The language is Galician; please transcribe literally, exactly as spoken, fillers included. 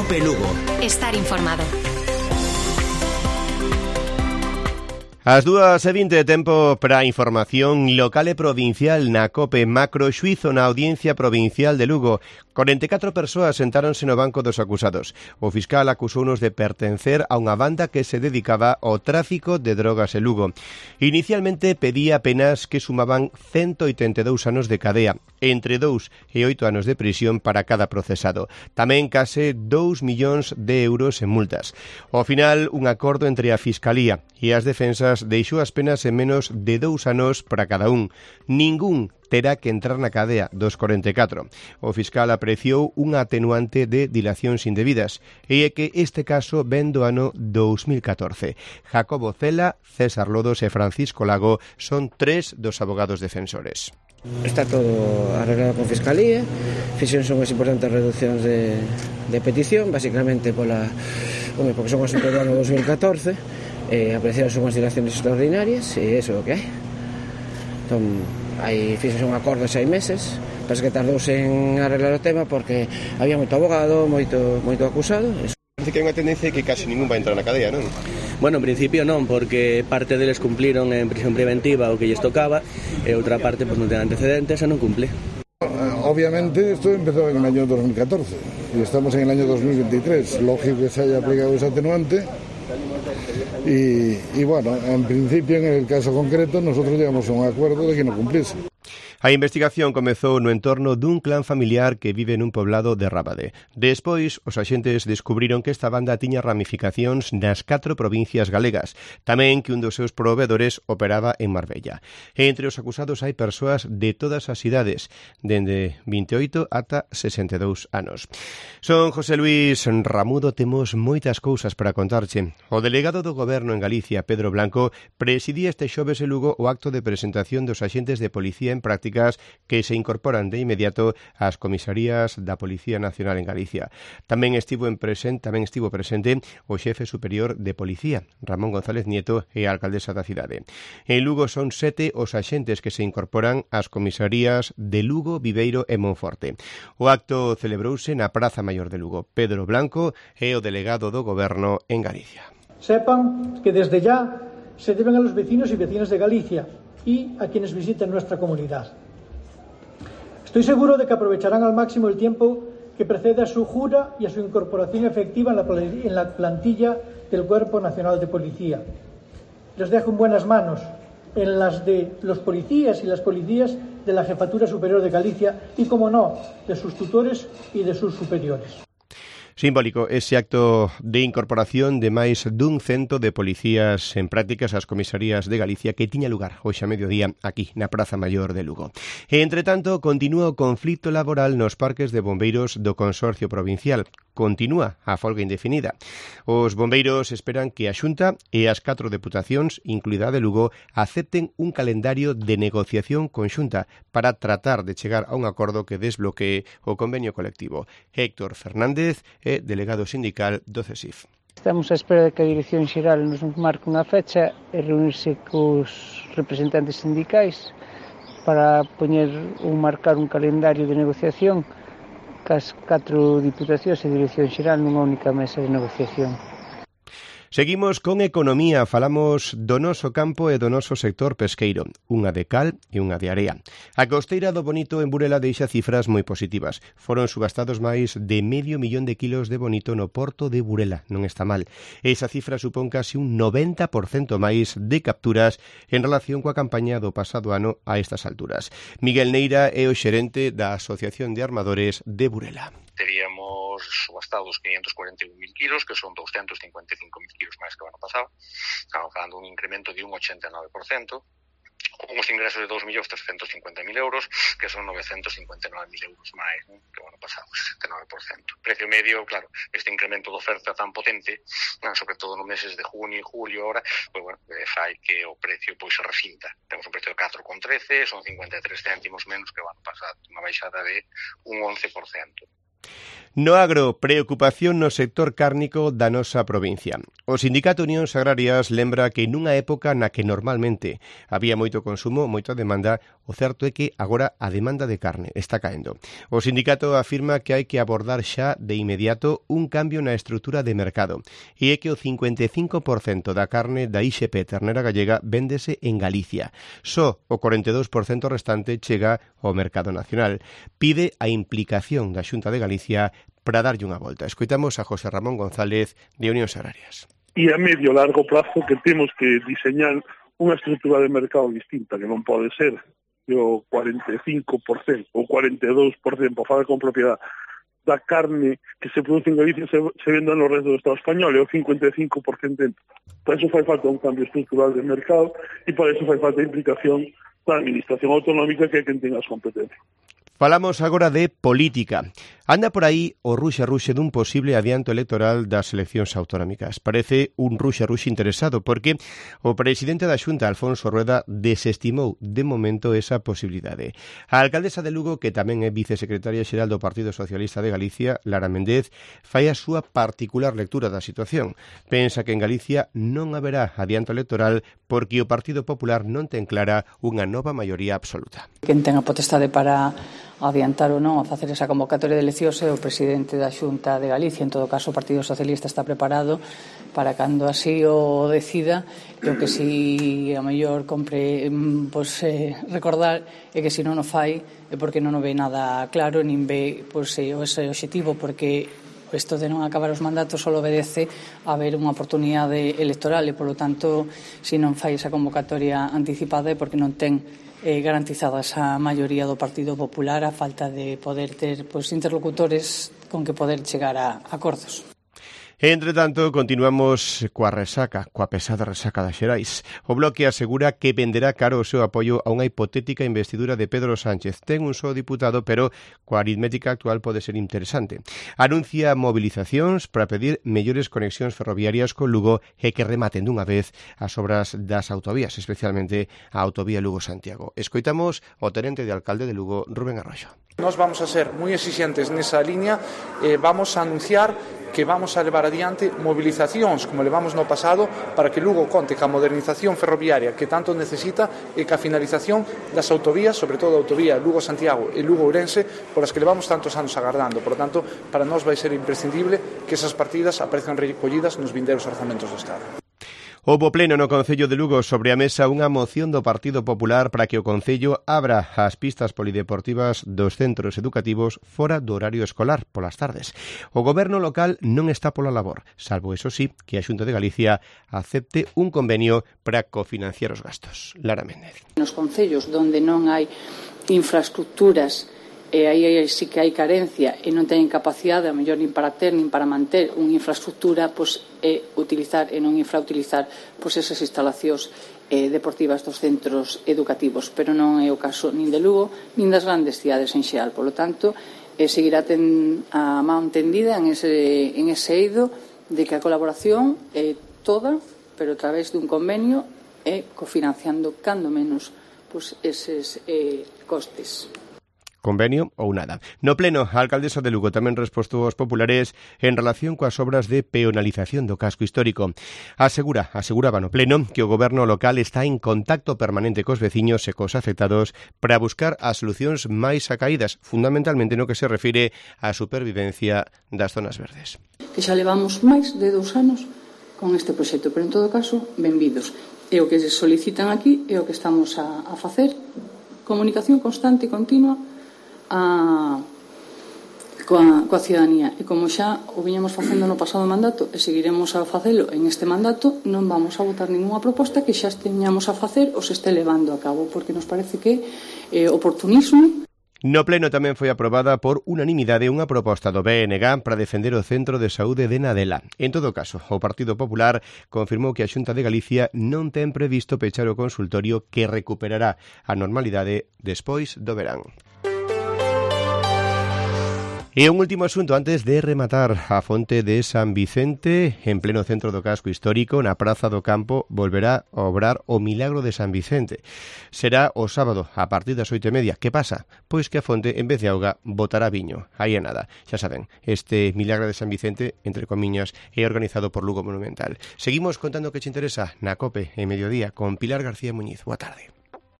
COPE Lugo. Estar informado. As dúas e vinte, tempo para a información local e provincial na COPE. Macro xuízo na Audiencia Provincial de Lugo. corenta e catro persoas sentáronse no banco dos acusados. O fiscal acusounos de pertencer a unha banda que se dedicaba ao tráfico de drogas en Lugo. Inicialmente pedía penas que sumaban ciento oitenta e dous anos de cadea, entre dous e oito anos de prisión para cada procesado. Tamén case dous millóns de euros en multas. Ao final, un acordo entre a Fiscalía e as defensas deixou as penas en menos de dous anos para cada un. Ningún terá que entrar na cadea dos corenta e catro. O fiscal apreciou unha atenuante de dilacións indebidas e é que este caso ven do ano dous mil catorce. Jacobo Cela, César Lodos e Francisco Lago son tres dos abogados defensores. Está todo arreglado con Fiscalía, fixéronse unhas importantes reduccións de, de petición, basicamente pola, home, porque son asuntos do ano dous mil catorce, e apreciaronse unhas dilacións extraordinarias, e iso é o que hai. Entón, aí fixose un acordo de seis meses, parece que tardouse en arreglar o tema porque había moito abogado, moito, moito acusado. Parece que hai unha tendencia que casi ningún vai entrar na cadea, non? Bueno, en principio non, porque parte deles cumpliron en prisión preventiva o que lles tocaba e outra parte pues, non ten antecedentes e non cumple. Obviamente esto empezó en el año dos mil catorce y estamos en el año dos mil veintitrés, lógico que se haya aplicado ese atenuante y, y bueno, en principio en el caso concreto nosotros llegamos a un acuerdo de que no cumpliese. A investigación comezou no entorno dun clan familiar que vive nun poblado de Rábade. Despois, os axentes descubriron que esta banda tiña ramificacións nas catro provincias galegas, tamén que un dos seus provedores operaba en Marbella. E entre os acusados hai persoas de todas as idades, dende vinte e oito ata sesenta e dous anos. Son José Luis Ramudo, temos moitas cousas para contarche. O delegado do Goberno en Galicia, Pedro Blanco, presidía este xoves en Lugo o acto de presentación dos axentes de policía en práctica que se incorporan de inmediato ás comisarías da Policía Nacional en Galicia. Tamén estivo en presente, tamén estivo presente o xefe superior de Policía, Ramón González Nieto, e a alcaldesa da cidade. En Lugo son sete os axentes que se incorporan ás comisarías de Lugo, Viveiro e Monforte. O acto celebrouse na Praza Maior de Lugo. Pedro Blanco é o delegado do Goberno en Galicia. Sepan que desde ya se deben a los vecinos y vecinas de Galicia y a quienes visiten nuestra comunidad. Estoy seguro de que aprovecharán al máximo el tiempo que precede a su jura y a su incorporación efectiva en la, en la plantilla del Cuerpo Nacional de Policía. Les dejo en buenas manos, en las de los policías y las policías de la Jefatura Superior de Galicia y, como no, de sus tutores y de sus superiores. Simbólico ese acto de incorporación de máis dun cento de policías en prácticas ás comisarías de Galicia que tiña lugar hoxe a mediodía aquí na Praza Maior de Lugo. E, entre tanto, continúa o conflito laboral nos parques de bombeiros do Consorcio Provincial. Continúa a folga indefinida. Os bombeiros esperan que a Xunta e as catro deputacións, incluída de Lugo, acepten un calendario de negociación conxunta para tratar de chegar a un acordo que desbloquee o convenio colectivo. Héctor Fernández é delegado sindical do CESIF. Estamos á espera de que a Dirección Xeral nos marque unha fecha e reunirse cos representantes sindicais para poñer ou marcar un calendario de negociación cas catro diputacións e Dirección Xeral nunha única mesa de negociación. Seguimos con economía, falamos do noso campo e do noso sector pesqueiro, unha de cal e unha de area. A costeira do bonito en Burela deixa cifras moi positivas. Foron subastados máis de medio millón de kilos de bonito no porto de Burela, non está mal. Esa cifra supón casi un noventa por cento máis de capturas en relación coa campaña do pasado ano a estas alturas. Miguel Neira é o xerente da Asociación de Armadores de Burela. Teríamos subastados quinientos cuarenta e un mil kilos, que son doscientos cincuenta e cinco mil kilos máis que o ano pasado. Estamos falando un incremento de un ochenta e nove por cento. Con os ingresos de dos millóns trescentos cincuenta mil euros, que son novecentos cincuenta e nove mil euros máis, ¿no?, que o ano pasado, setenta e nove por cento. Precio medio, claro, este incremento de oferta tan potente, ¿no?, sobre todo nos meses de junio e julio ahora, pues bueno, fai que o precio pois se resinta. Temos un precio de catro con trece, son cincuenta e tres céntimos menos que o ano pasado, unha baixada de un once por cento. No agro, preocupación no sector cárnico da nosa provincia. O Sindicato Unións Agrarias lembra que nunha época na que normalmente había moito consumo, moita demanda, o certo é que agora a demanda de carne está caendo. O sindicato afirma que hai que abordar xa de inmediato un cambio na estrutura de mercado e é que o cincuenta e cinco por cento da carne da I X P ternera gallega véndese en Galicia. Só o cuarenta e dous por cento restante chega ao mercado nacional. Pide a implicación da Xunta de Galicia para darlle unha volta. Escoitamos a José Ramón González de Unións Agrarias. E a medio largo plazo que temos que diseñar unha estrutura de mercado distinta, que non pode ser o cuarenta e cinco por cento ou cuarenta e dous por cento, por falar con propiedade, da carne que se produce en Galicia se, se venda no resto do Estado español, e o cincuenta e cinco por cento. Para eso fai falta un cambio estrutural de mercado e para eso fai falta a implicación da administración autonómica, que é quen ten as competencias. Falamos agora de política. Anda por aí o ruxe-ruxe dun posible adianto electoral das eleccións autonómicas. Parece un ruxe-ruxe interesado porque o presidente da Xunta, Alfonso Rueda, desestimou de momento esa posibilidade. A alcaldesa de Lugo, que tamén é vicesecretaria xeral do Partido Socialista de Galicia, Lara Méndez, fai a súa particular lectura da situación. Pensa que en Galicia non haberá adianto electoral porque o Partido Popular non ten clara unha nova maioría absoluta. Quen ten a potestade para adiantar ou non a facer esa convocatoria de eleccións é o presidente da Xunta de Galicia. En todo caso, o Partido Socialista está preparado para cando así o decida. E o que si a mellor compre pois, eh, recordar é que se non o fai é porque non o ve nada claro, nin ve pois, eh, ese obxectivo, porque isto de non acabar os mandatos só obedece a haber unha oportunidade electoral e, polo tanto, se non fai esa convocatoria anticipada é porque non ten Eh, garantizada esa maioría do Partido Popular a falta de poder ter pois, interlocutores con que poder chegar a acordos. Entre tanto, continuamos coa resaca, coa pesada resaca das Xerais. O Bloque asegura que venderá caro o seu apoio a unha hipotética investidura de Pedro Sánchez. Ten un só diputado, pero coa aritmética actual pode ser interesante. Anuncia movilizacións para pedir mellores conexións ferroviarias con Lugo e que rematen dunha vez as obras das autovías, especialmente a autovía Lugo-Santiago. Escoitamos o tenente de alcalde de Lugo, Rubén Arroxo. Nos vamos a ser moi exixentes nesa liña e eh, vamos a anunciar que vamos a levar adiante movilizacións como levamos no pasado para que Lugo conte ca modernización ferroviaria que tanto necesita e ca finalización das autovías, sobre todo a autovía Lugo-Santiago e Lugo-Ourense, por as que levamos tantos anos agardando. Por lo tanto, para nós vai ser imprescindible que esas partidas aparezcan recollidas nos vindeiros orzamentos do Estado. Houbo pleno no Concello de Lugo sobre a mesa unha moción do Partido Popular para que o Concello abra as pistas polideportivas dos centros educativos fora do horario escolar polas tardes. O goberno local non está pola labor, salvo, eso sí, que a Xunta de Galicia acepte un convenio para cofinanciar os gastos. Lara Méndez. Nos concellos onde non hai infraestructuras e aí sí que hai carencia e non teñen capacidade, a mellor nin para ter nin para manter unha infraestructura, pois é utilizar e non infrautilizar pois esas instalacións eh, deportivas dos centros educativos, pero non é o caso nin de Lugo nin das grandes cidades en xeral. Por lo tanto, eh, seguirá ten a man tendida en ese, en ese eido de que a colaboración é toda, pero a través dun convenio e cofinanciando cando menos pois eses eh, costes. Convenio ou nada. No pleno, a alcaldesa de Lugo tamén respostou aos populares en relación coas obras de peonalización do casco histórico. Asegura, aseguraba no pleno que o goberno local está en contacto permanente cos veciños e cos afectados para buscar as solucións máis acaídas, fundamentalmente no que se refire á supervivencia das zonas verdes. Que xa levamos máis de dous anos con este proxecto, pero en todo caso, benvidos. E o que se solicitan aquí é o que estamos a, a facer, comunicación constante e continua A, coa, coa ciudadanía, e como xa o viñamos facendo no pasado mandato e seguiremos a facelo en este mandato, non vamos a votar ninguna proposta que xa teñamos a facer ou se este levando a cabo, porque nos parece que é eh, oportunismo. No pleno tamén foi aprobada por unanimidade unha proposta do B N G para defender o Centro de Saúde de Nadela. En todo caso, o Partido Popular confirmou que a Xunta de Galicia non ten previsto pechar o consultorio que recuperará a normalidade despois do verán. E un último asunto antes de rematar. A fonte de San Vicente, en pleno centro do casco histórico, na Praza do Campo, volverá a obrar o Milagro de San Vicente. Será o sábado, a partir das oito e media. Que pasa? Pois que a fonte, en vez de auga, botará viño. Aí é nada. Xa saben, este Milagro de San Vicente, entre comiñas, é organizado por Lugo Monumental. Seguimos contando que che interesa na COPE en Mediodía con Pilar García Muñiz. Boa tarde.